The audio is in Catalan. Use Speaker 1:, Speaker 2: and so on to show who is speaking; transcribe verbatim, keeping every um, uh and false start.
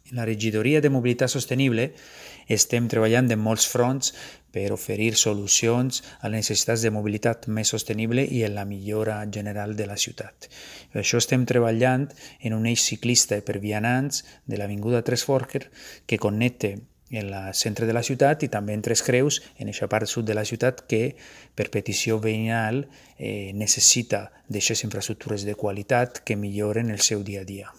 Speaker 1: En la regidoria de mobilitat sostenible estem treballant en molts fronts per oferir solucions a les necessitats de mobilitat més sostenible i en la millora general de la ciutat. Per això estem treballant en un eix ciclista per vianants de l'Avinguda Tres Forques que connecta en el centre de la ciutat i també en Tres Creus, en aquesta part sud de la ciutat que, per petició veïnal, eh, necessita d'aquestes infraestructures de qualitat que milloren el seu dia a dia.